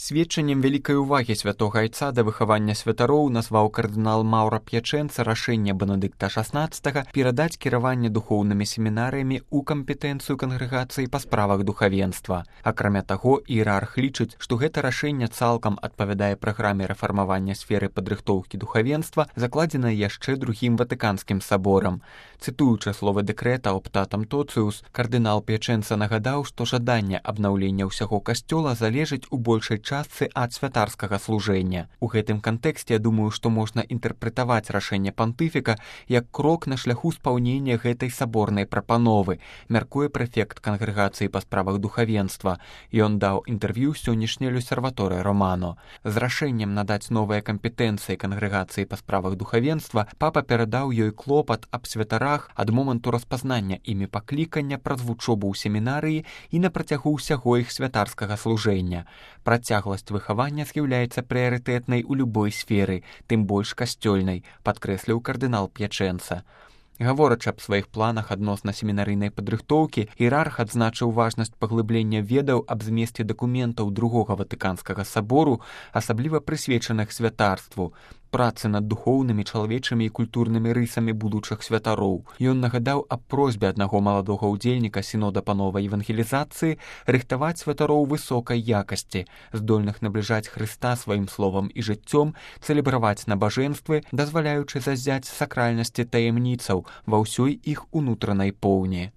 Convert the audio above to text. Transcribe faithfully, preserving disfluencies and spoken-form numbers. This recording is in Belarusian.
Сведчаннем вялікай увагі святога айца да выхавання святароў назваў кардынал Маўра П'ячэнца рашэнне Бенедыкта шаснаццатага перадаць кіраванне духоўнымі семінарыямі ў кампетэнцыю кангрэгацыі па справах духавенства. Акрамя таго, іерарх лічыць, што гэта рашэнне цалкам адпавядае праграме рэфармавання сферы падрыхтоўкі духавенства, закладзенай яшчэ другім ватыканскім саборам. Цытуючы словы дэкрэта «Optatum Totius», кардынал П'ячэнца нагадаў, што жаданне абнаўлення ўсяго касцёла залежыць у большай частцы ад святарскага служэння. У гэтым кантэксце я думаю, што можна інтэрпрэтаваць рашэнне пантыфіка як крок на шляху спаўнення гэтай саборнай прапановы, мяркуе прэфект кангрэгацыі па справах духавенства. Ён даў інтэрв'ю сённяшняй L'Osservatore Romano. З рашэннем надаць новыя кампетэнцыі кангрэгацыі па справах духавенства папа перадаў ёй клопат аб святарах ад моманту распазнання імі паклікання праз вучобу ў семінарыі і на працягу ўсяго іх святарскага служэння. Працягласць выхавання з'яўляецца прыярытэтнай у любой сферы, тым больш касцёльнай, падкрэсліў кардынал П'ячэнца. Гаворачы аб сваіх планах адносна семінарыйнай падрыхтоўкі, іерарх адзначыў важнасць паглыблення ведаў аб змесце дакументаў другога ватыканскага сабору, асабліва прысвечаных святарству, працы над духоўнымі, чалавечымі і культурнымі рысамі будучых святароў. Ён нагадаў аб просьбе аднаго маладога ўдзельніка сінода па новай евангелізацыі рыхтаваць святароў высокай якасці, здольных набліжаць Хрыста сваім словам і жыццём, цэлебраваць набажэнствы, дазваляючы зазяць сакральнасці таямніцаў ва ўсёй іх унутранай поўні.